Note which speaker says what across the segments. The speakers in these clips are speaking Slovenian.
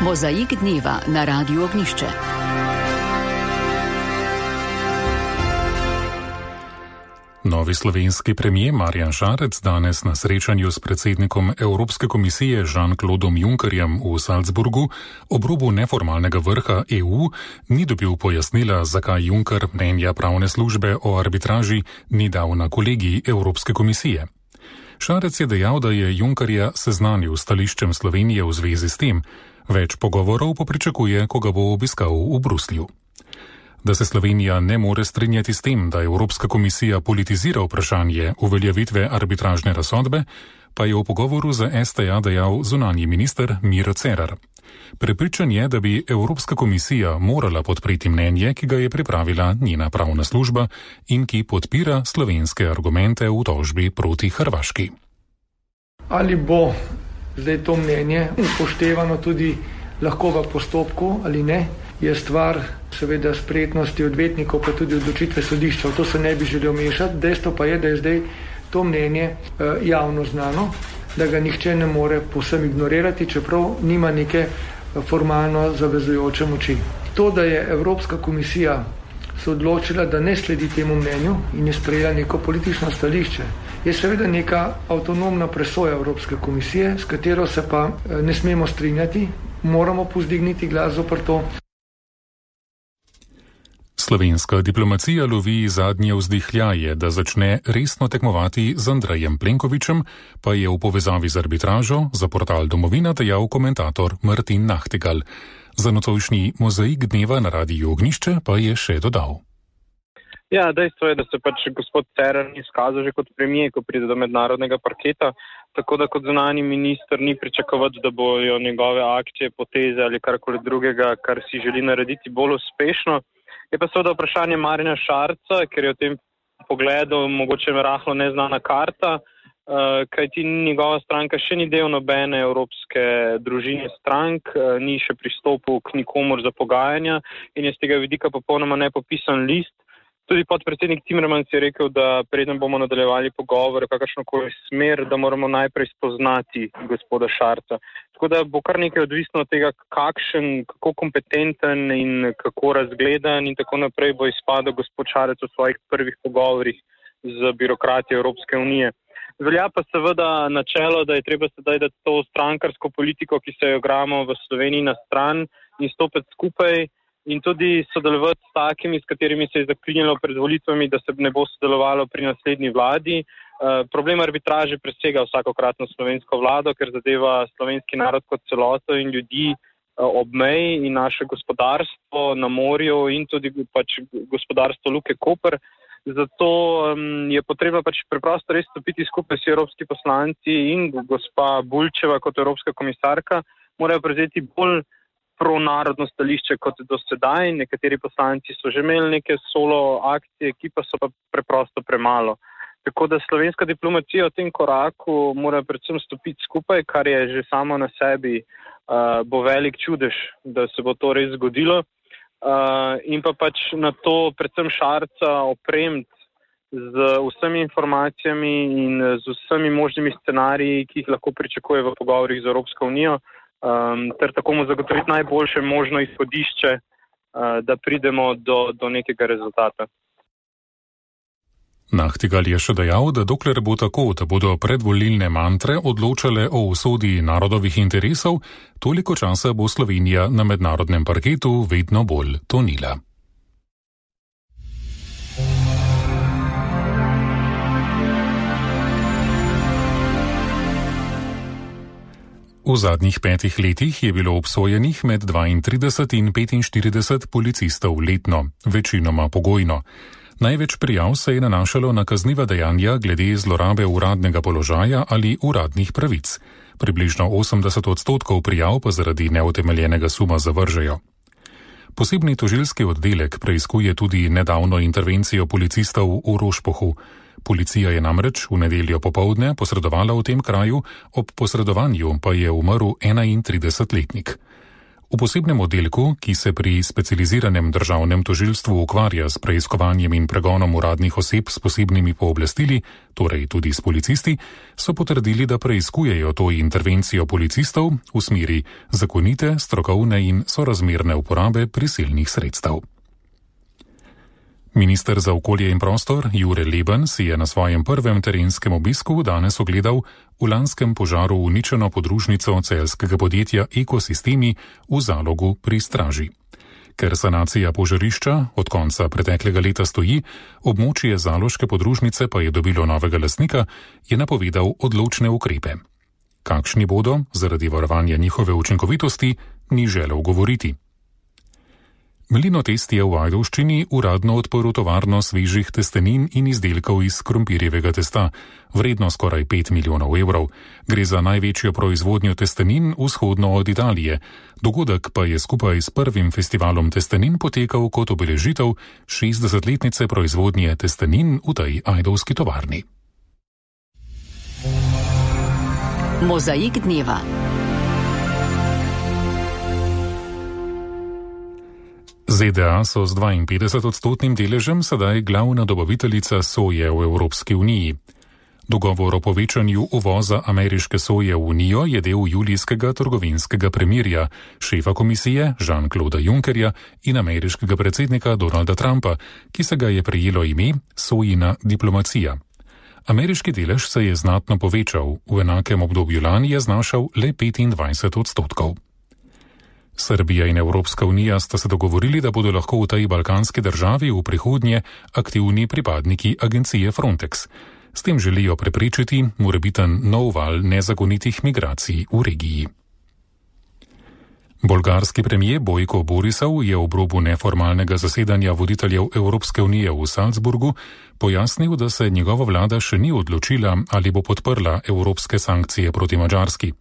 Speaker 1: Mozaik dneva na Radiu Ognjišče.
Speaker 2: Novi slovenski premier Marjan Šarec danes na srečanju s predsednikom Evropske komisije Jean-Claudom Junckerjem v Salzburgu ob robu neformalnega vrha EU ni dobil pojasnila, zakaj Juncker mnenja pravne službe o arbitraži ni dal na kolegij Evropske komisije. Šarec je dejal, da je Junckerja seznanil s stališčem Slovenije v zvezi s tem, več pogovorov pa pričakuje, ko ga bo obiskal v Bruslju. Da se Slovenija ne more strinjati s tem, da Evropska komisija politizira vprašanje uveljavitve arbitražne razsodbe, pa je v pogovoru za STA dejal zunanji minister Miro Cerar. Prepričan je, da bi Evropska komisija morala podpreti mnenje, ki ga je pripravila njena pravna služba in ki podpira slovenske argumente v tožbi proti Hrvaški.
Speaker 3: Ali bo zdaj to mnenje upoštevano tudi lahko v postopku ali ne, je stvar seveda spretnosti odvetnikov, pa tudi odločitve sodišča. V to se ne bi želel mešati. Dejstvo pa je, da je zdaj to mnenje javno znano, da ga nihče ne more povsem ignorirati, čeprav nima neke formalno zavezujoče moči. To, da je Evropska komisija se odločila, da ne sledi temu mnenju in je sprejela neko politično stališče, je seveda neka avtonomna presoja Evropske komisije, s katero se pa ne smemo strinjati, moramo povzdigniti glas zoper to.
Speaker 2: Slovenska diplomacija lovi zadnje vzdihljaje, da začne resno tekmovati z Andrejem Plenkovićem, pa je v povezavi z arbitražo za portal Domovina dejal komentator Martin Nachtigal. Za nocojšnji mozaik dneva na Radiu Ognjišče pa je še dodal.
Speaker 4: Ja, dejstvo je, da se gospod Cerar ni izkazal že kot premier, ko pride do mednarodnega parketa, tako da kot zunanji minister ni pričakovati, da bojo njegove akcije, poteze ali karkoli drugega, kar si želi narediti, bolj uspešno. Je pa seveda vprašanje Marjana Šarca, ker je v tem pogledu mogoče rahlo neznana karta, kajti njegova stranka še ni del nobene evropske družine strank, ni še pristopil k nikomur za pogajanja in je z tega vidika popolnoma nepopisan list. Tudi podpredsednik Timmermans je rekel, da preden bomo nadaljevali pogovore, kakršnokoli smer, da moramo najprej spoznati gospoda Šarca. Tako da bo kar nekaj odvisno od tega, kako kompetenten in kako razgledan in tako naprej bo izpadel gospod Šarec v svojih prvih pogovorih z birokrati Evropske unije. Velja pa seveda načelo, da je treba sedaj dati to strankarsko politiko, ki se jo gramo v Sloveniji na stran in stopiti skupaj in tudi sodelovati s takimi, s katerimi se je zaklinjalo pred volitvami, da se ne bo sodelovalo pri naslednji vladi. Problem arbitraže presega vsakokratno slovensko vlado, ker zadeva slovenski narod kot celoto in ljudi ob meji in naše gospodarstvo na morju in tudi gospodarstvo Luke Koper. Zato je potrebno preprosto res stopiti skupaj s evropski poslanci in gospa Bulčeva kot evropska komisarka morajo prevzeti bolj pronarodno stališče kot do sedaj. Nekateri poslanci so že imeli neke solo akcije, ki pa so pa preprosto premalo. Tako da slovenska diplomacija v tem koraku mora predvsem stopiti skupaj, kar je že samo na sebi bo velik čudež, da se bo to res zgodilo. In pa na to predvsem Šarca opremiti z vsemi informacijami in z vsemi možnimi scenariji, ki jih lahko pričakuje v pogovorih z Evropsko unijo, ter tako mu zagotoviti najboljše možno izhodišče, da pridemo do nekega rezultata.
Speaker 2: Nachtigal je še dejal, da dokler bo tako, da bodo predvolilne mantre odločale o usodi narodovih interesov, toliko časa bo Slovenija na mednarodnem parketu vedno bolj tonila. V zadnjih 5 letih je bilo obsojenih med 32 in 45 policistov letno, večinoma pogojno. Največ prijav se je nanašalo na kazniva dejanja glede zlorabe uradnega položaja ali uradnih pravic. Približno 80% prijav pa zaradi neutemeljenega suma zavržejo. Posebni tožilski oddelek preiskuje tudi nedavno intervencijo policistov v Rošpohu. Policija je namreč v nedeljo popoldne posredovala v tem kraju, ob posredovanju pa je umrl 31-letnik. V posebnem oddelku, ki se pri specializiranem državnem tožilstvu ukvarja s preiskovanjem in pregonom uradnih oseb s posebnimi pooblastili, torej tudi s policisti, so potrdili, da preiskujejo to intervencijo policistov v smeri zakonite, strokovne in sorazmerne uporabe prisilnih sredstev. Minister za okolje in prostor Jure Leben si je na svojem prvem terenskem obisku danes ogledal v lanskem požaru uničeno podružnico celjskega podjetja Ekosistemi v Zalogu pri Straži. Ker sanacija požarišča od konca preteklega leta stoji, območje zaloške podružnice pa je dobilo novega lastnika, je napovedal odločne ukrepe. Kakšni bodo, zaradi varovanja njihove učinkovitosti, ni želel govoriti. Mlinotest je v Ajdovščini uradno odprl tovarno svežih testenin in izdelkov iz krompirjevega testa, vredno skoraj 5 milijonov evrov. Gre za največjo proizvodnjo testenin vzhodno od Italije. Dogodek pa je skupaj s prvim festivalom testenin potekal kot obeležitev 60-letnice proizvodnje testenin v tej ajdovski tovarni.
Speaker 1: Mozaik dneva.
Speaker 2: ZDA so z 52-odstotnim deležem sedaj glavna dobaviteljica soje v Evropski uniji. Dogovor o povečanju uvoza ameriške soje v Unijo je del julijskega trgovinskega premirja šefa komisije Jean-Clauda Junckerja in ameriškega predsednika Donalda Trumpa, ki se ga je prejelo ime sojina diplomacija. Ameriški delež se je znatno povečal, v enakem obdobju lani je znašal le 25 odstotkov. Srbija in Evropska unija sta se dogovorili, da bodo lahko v tej balkanski državi v prihodnje aktivni pripadniki agencije Frontex. S tem želijo preprečiti morebiten nov val nezakonitih migracij v regiji. Bolgarski premijer Bojko Borisov je ob robu neformalnega zasedanja voditeljev Evropske unije v Salzburgu pojasnil, da se njegova vlada še ni odločila, ali bo podprla evropske sankcije proti Madžarski.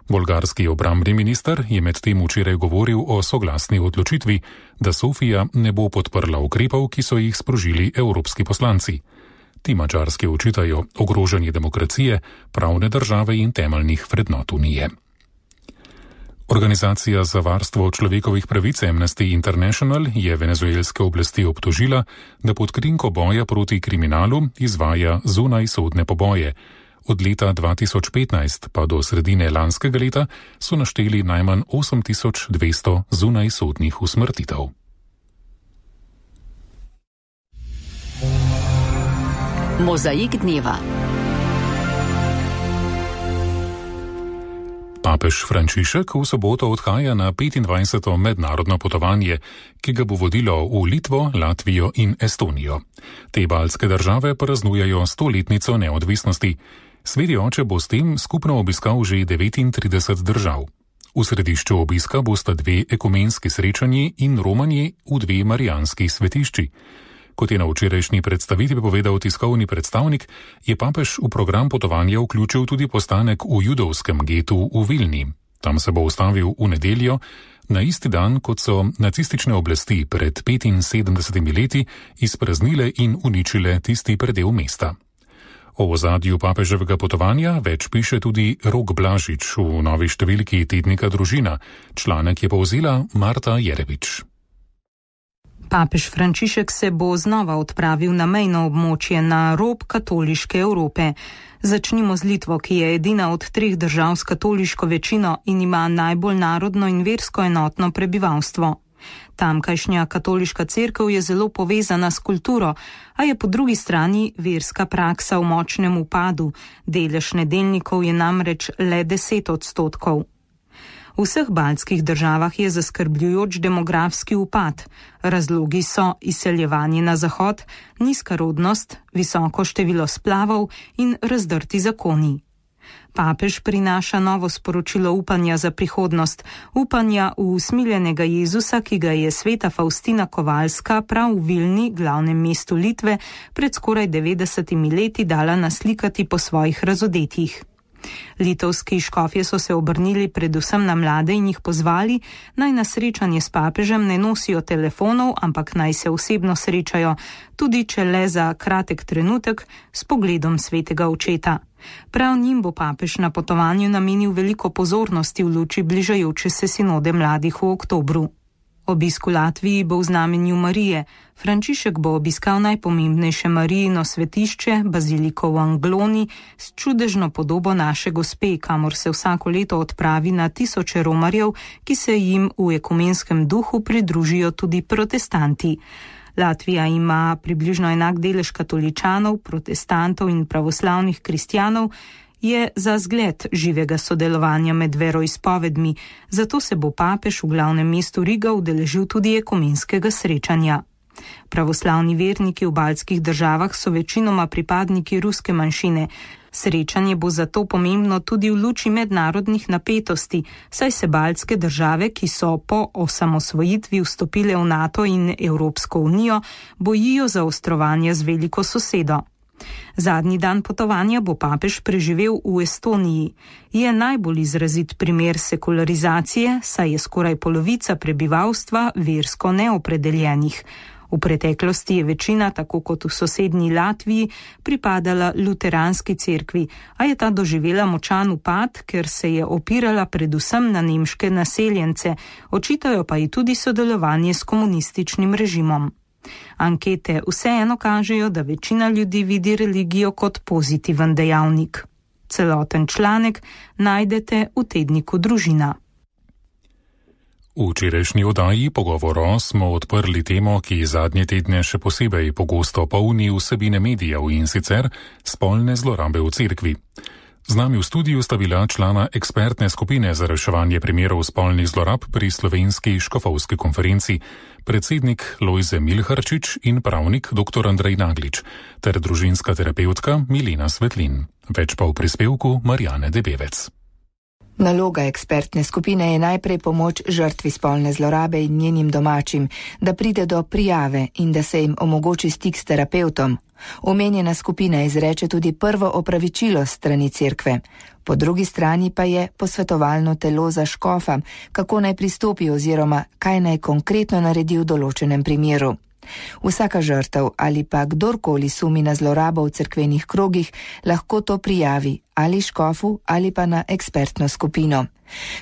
Speaker 2: Bolgarski obrambni minister je medtem včeraj govoril o soglasni odločitvi, da Sofija ne bo podprla ukrepov, ki so jih sprožili evropski poslanci. Ti Madžarski očitajo ogrožanje demokracije, pravne države in temeljnih vrednot unije. Organizacija za varstvo človekovih pravic Amnesty International je venezuelske oblasti obtožila, da pod krinko boja proti kriminalu izvaja zunajsodne poboje. Od leta 2015 pa do sredine lanskega leta so našteli najmanj 8200 zunajsodnih usmrtitev.
Speaker 1: Mozaik dneva.
Speaker 2: Papež Frančišek v soboto odhaja na 25. mednarodno potovanje, ki ga bo vodilo v Litvo, Latvijo in Estonijo. Te baltske države praznujejo 100-letnico neodvisnosti. Sveti oče bo s tem skupno obiskal že 39 držav. V središču obiska bosta 2 ekumenski srečanji in romanje v 2 marijanski svetišči. Kot je na včerajšnji predstavitvi povedal tiskovni predstavnik, je papež v program potovanja vključil tudi postanek v judovskem getu v Vilni. Tam se bo ustavil v nedeljo, na isti dan, kot so nacistične oblasti pred 75 leti izpraznile in uničile tisti predel mesta. O ozadju papeževega potovanja več piše tudi Rok Blažič v novi številki tednika Družina. Članek je povzela Marta Jerevič.
Speaker 5: Papež Frančišek se bo znova odpravil na mejno območje na rob katoliške Evrope. Začnimo z Litvo, ki je edina od 3 držav s katoliško večino in ima najbolj narodno in versko enotno prebivalstvo. Tamkajšnja katoliška cerkev je zelo povezana s kulturo, a je po drugi strani verska praksa v močnem upadu. Delež nedeljnikov je namreč le 10 odstotkov. V vseh baltskih državah je zaskrbljujoč demografski upad. Razlogi so izseljevanje na zahod, nizka rodnost, visoko število splavov in razdrti zakoni. Papež prinaša novo sporočilo upanja za prihodnost, upanja v usmiljenega Jezusa, ki ga je sveta Faustina Kovalska prav v Vilni, glavnem mestu Litve, pred skoraj 90 leti dala naslikati po svojih razodetjih. Litovski škofje so se obrnili predvsem na mlade in jih pozvali, naj na srečanje s papežem ne nosijo telefonov, ampak naj se osebno srečajo, tudi če le za kratek trenutek s pogledom svetega očeta. Prav njim bo papež na potovanju namenil veliko pozornosti v luči bližajoče se sinode mladih v oktobru. Obisk v Latviji bo v znamenju Marije. Frančišek bo obiskal najpomembnejše Marijino svetišče, baziliko v Angloni, s čudežno podobo naše gospe, kamor se vsako leto odpravi na tisoče romarjev, ki se jim v ekumenskem duhu pridružijo tudi protestanti. Latvija ima približno enak delež katoličanov, protestantov in pravoslavnih kristjanov, je za zgled živega sodelovanja med veroizpovedmi, zato se bo papež v glavnem mestu Riga udeležil tudi ekumenskega srečanja. Pravoslavni verniki v baltskih državah so večinoma pripadniki ruske manjšine. Srečanje bo zato pomembno tudi v luči mednarodnih napetosti, saj se baltske države, ki so po osamosvojitvi vstopile v NATO in Evropsko unijo, bojijo zaostrovanja z veliko sosedo. Zadnji dan potovanja bo papež preživel v Estoniji. Je najbolj izrazit primer sekularizacije, saj je skoraj polovica prebivalstva versko neopredeljenih. V preteklosti je večina, tako kot v sosednji Latviji, pripadala luteranski cerkvi, a je ta doživela močan upad, ker se je opirala predvsem na nemške naseljence, očitajo pa ji tudi sodelovanje s komunističnim režimom. Ankete vseeno kažejo, da večina ljudi vidi religijo kot pozitiven dejavnik. Celoten članek najdete v tedniku Družina.
Speaker 2: V včerajšnji oddaji Pogovoro smo odprli temo, ki zadnje tedne še posebej pogosto polni vsebine medijev, in sicer spolne zlorabe v cerkvi. Z nami v studiu sta bila člana ekspertne skupine za reševanje primerov spolnih zlorab pri Slovenski škofovski konferenci, predsednik Lojze Milharčič in pravnik dr. Andrej Naglič, ter družinska terapevtka Milena Svetlin. Več pa v prispevku Marjane Debevec.
Speaker 6: Naloga ekspertne skupine je najprej pomoč žrtvi spolne zlorabe in njenim domačim, da pride do prijave in da se jim omogoči stik s terapevtom. Omenjena skupina izreče tudi prvo opravičilo strani cerkve. Po drugi strani pa je posvetovalno telo za škofa, kako naj pristopi oziroma kaj naj konkretno naredi v določenem primeru. Vsaka žrtev ali pa kdorkoli sumi na zlorabo v cerkvenih krogih lahko to prijavi ali škofu ali pa na ekspertno skupino.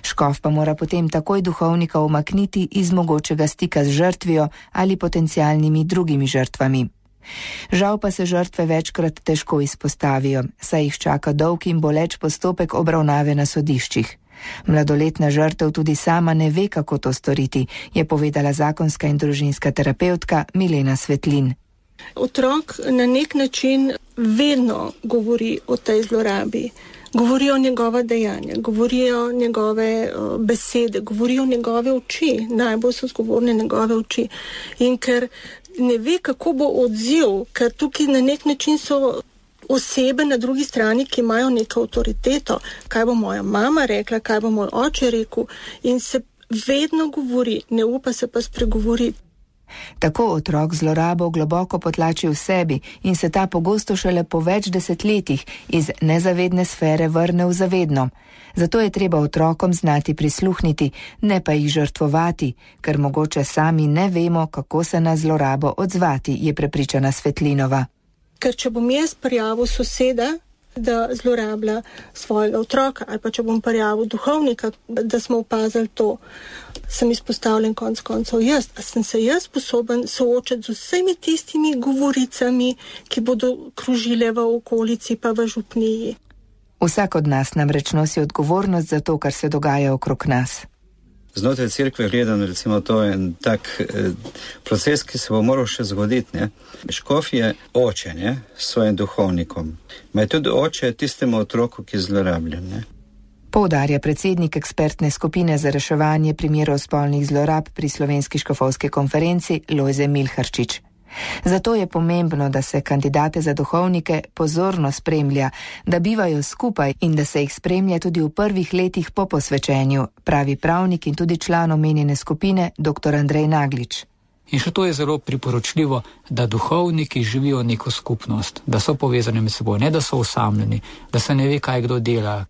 Speaker 6: Škof pa mora potem takoj duhovnika umakniti iz mogočega stika z žrtvijo ali potencialnimi drugimi žrtvami. Žal pa se žrtve večkrat težko izpostavijo, saj jih čaka dolg in boleč postopek obravnave na sodiščih. Mladoletna žrtev tudi sama ne ve, kako to storiti, je povedala zakonska in družinska terapevtka Milena Svetlin.
Speaker 7: Otrok na nek način vedno govori o tej zlorabi. Govorijo njegova dejanja, govorijo njegove besede, govorijo njegove oči, najbolj so zgovorne njegove oči. In ker ne ve, kako bo odziv, ker tukaj na nek način so osebe na drugi strani, ki imajo neko avtoriteto, kaj bo moja mama rekla, kaj bo moj oče rekel, in se vedno govori, ne upa se pa spregovoriti.
Speaker 6: Tako otrok zlorabo globoko potlači v sebi in se ta pogosto šele po več desetletjih iz nezavedne sfere vrne v zavedno. Zato je treba otrokom znati prisluhniti, ne pa jih žrtvovati, ker mogoče sami ne vemo, kako se na zlorabo odzvati, je prepričana Svetlinova.
Speaker 7: Ker če bom jaz prijavil soseda, da zlorablja svojega otroka, ali pa če bom prijavil duhovnika, da smo opazili to, sem izpostavljen konec koncev jaz. A sem se jaz sposoben soočati z vsemi tistimi govoricami, ki bodo krožile v okolici pa v župniji?
Speaker 6: Vsak od nas namreč nosi odgovornost za to, kar se dogaja okrog nas.
Speaker 8: Znotraj cerkve gledano, recimo, to je en tak proces, ki se bo moral še zgoditi. Ne? Škof je oče, ne? S svojim duhovnikom. Ma je tudi oče tistemu otroku, ki zlorablja. Ne?
Speaker 6: Poudarja predsednik ekspertne skupine za reševanje primerov spolnih zlorab pri Slovenski škofovski konferenci Lojze Milharčič. Zato je pomembno, da se kandidate za duhovnike pozorno spremlja, da bivajo skupaj in da se jih spremlja tudi v prvih letih po posvečenju, pravi pravnik in tudi član omenjene skupine dr. Andrej Naglič.
Speaker 9: In še to je zelo priporočljivo, da duhovniki živijo neko skupnost, da so povezani med seboj, ne da so osamljeni, da se ne ve, kaj kdo dela.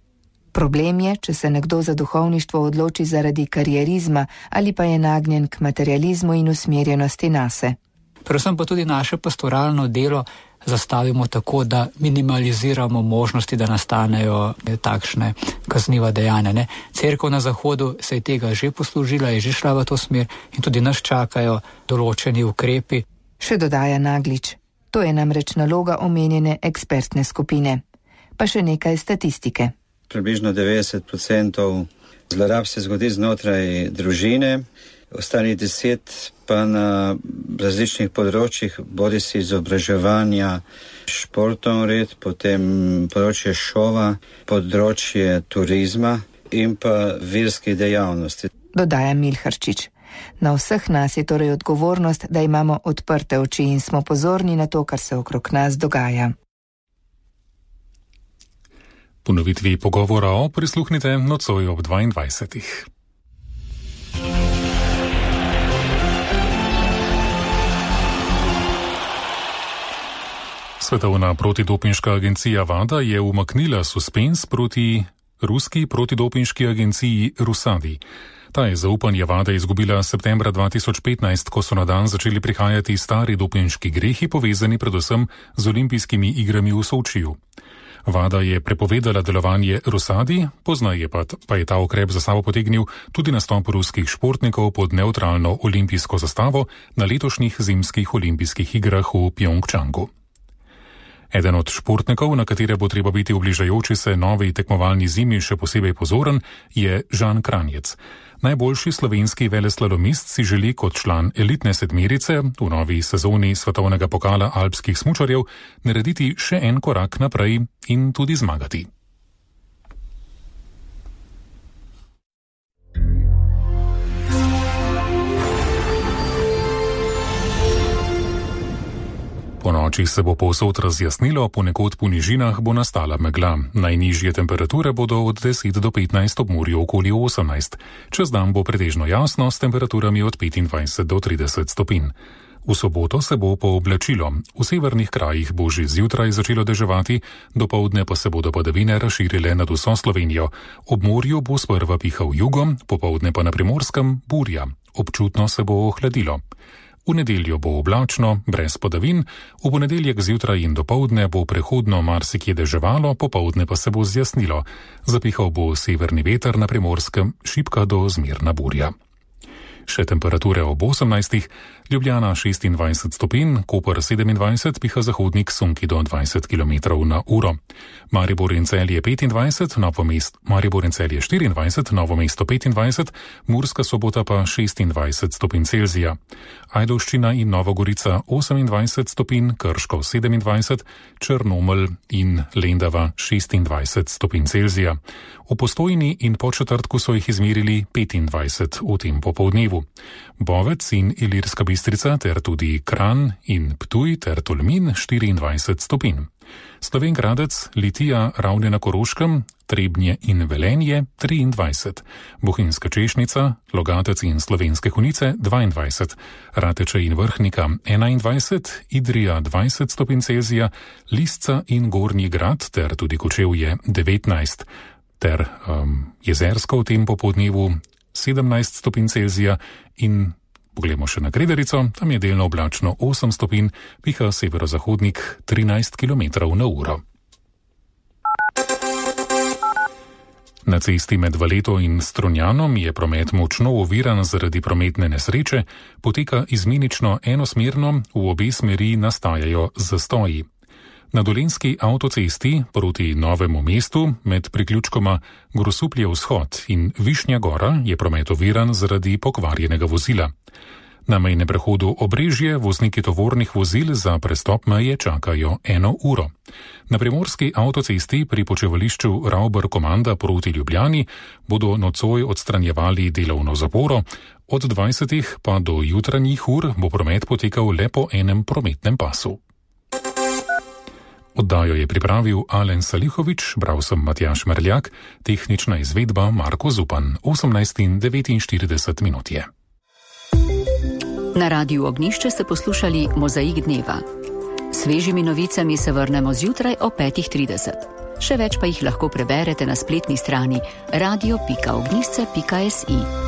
Speaker 6: Problem je, če se nekdo za duhovništvo odloči zaradi karierizma ali pa je nagnjen k materializmu in usmerjenosti nase.
Speaker 9: Predvsem pa tudi naše pastoralno delo zastavimo tako, da minimaliziramo možnosti, da nastanejo takšne kazniva dejanja. Ne? Cerkev na Zahodu se je tega že poslužila, je že šla v to smer in tudi nas čakajo določeni ukrepi.
Speaker 6: Še dodaja Naglič. To je namreč naloga omenjene ekspertne skupine. Pa še nekaj statistike.
Speaker 8: Približno 90% zlorab se zgodi znotraj družine, ostali 10% pa na različnih področjih, bodi si izobraževanja, športov red, potem področje šova, področje turizma in pa verskih dejavnosti.
Speaker 6: Dodaja Milharčič. Na vseh nas je torej odgovornost, da imamo odprte oči in smo pozorni na to, kar se okrog nas dogaja.
Speaker 2: Ponovitvi pogovora prisluhnite nocoj ob 22. Svetovna protidopinška agencija WADA je umaknila suspens proti ruski protidopinški agenciji Rusadi. Ta je zaupanje WADA izgubila septembra 2015, ko so na dan začeli prihajati stari dopinški grehi, povezani predvsem z olimpijskimi igrami v Sočiju. WADA je prepovedala delovanje Rusadi, poznaje pa je ta ukrep za sabo potegnil tudi nastop ruskih športnikov pod nevtralno olimpijsko zastavo na letošnjih zimskih olimpijskih igrah v Pjongčangu. Eden od športnikov, na katere bo treba biti v bližajoči se novi tekmovalni zimi še posebej pozoren, je Žan Kranjec. Najboljši slovenski veleslalomist si želi kot član elitne sedmerice v novi sezoni svetovnega pokala alpskih smučarjev narediti še en korak naprej in tudi zmagati. Po noči se bo povsod razjasnilo, ponekod po nižinah bo nastala megla. Najnižje temperature bodo od 10 do 15, ob morju okoli 18. Čez dan bo pretežno jasno s temperaturami od 25 do 30 stopinj. V soboto se bo pooblačilo. V severnih krajih bo že zjutraj začelo deževati, dopoldne pa se bodo padavine razširile nad vso Slovenijo. Ob morju bo sprva pihal jugo, popoldne pa na Primorskem burja. Občutno se bo ohladilo. V nedeljo bo oblačno, brez padavin, v ponedeljek zjutraj in dopoldne bo prehodno marsikje deževalo, popoldne pa se bo zjasnilo. Zapihal bo severni veter, na Primorskem šibka do zmerna burja. Še temperature ob 18, Ljubljana 26 stopinj, Koper 27, piha zahodnik sunki do 20 km na uro. Maribor in Celje 25, Maribor in Celje 24, Novo mesto 25, Murska Sobota pa 26 stopinj Celzija. Ajdovščina in Nova Gorica 28 stopinj, Krško 27, Črnomelj in Lendava 26 stopinj Celzija. V Postojni in Podčetrtku so jih izmerili 25 v tem popoldnevu. Bovec in Ilirska Bistrica ter tudi Kranj in Ptuj ter Tolmin 24 stopinj. Slovenj-Gradec, Litija, Ravne na Koroškem, Trebnje in Velenje 23, Bohinjska Češnica, Logatec in Slovenske Konjice 22, Rateče in Vrhnika 21, Idrija 20 stopinj Celzija, Lisca in Gornji Grad ter tudi Kočevje 19, ter Jezersko v tem popoldnevu 17 stopinj Celzija in poglejmo še na Grederico, tam je delno oblačno 8 stopinj, piha severozahodnik 13 km na uro. Na cesti med Valeto in Strunjanom je promet močno oviran zaradi prometne nesreče, poteka izmenično enosmerno, v obe smeri nastajajo zastoji. Na Dolenjski avtocesti proti Novemu mestu med priključkoma Grosuplje vzhod in Višnja gora je promet oviran zaradi pokvarjenega vozila. Na mejnem prehodu Obrežje vozniki tovornih vozil za prestop meje čakajo 1 uro. Na Primorski avtocesti pri počivališču Ravbar Komanda proti Ljubljani bodo nocoj odstranjevali delovno zaporo, od 20 pa do jutranjih ur bo promet potekal le po enem prometnem pasu. Oddajo je pripravil Alen Salihovič, bral sem Matjaž Merljak, tehnična izvedba Marko Zupan, 18:49 minut je.
Speaker 1: Na Radiu Ognjišče ste poslušali Mozaik dneva. svežimi novicami se vrnemo zjutraj o 5:30. Še več pa jih lahko preberete na spletni strani radio.ognisce.si.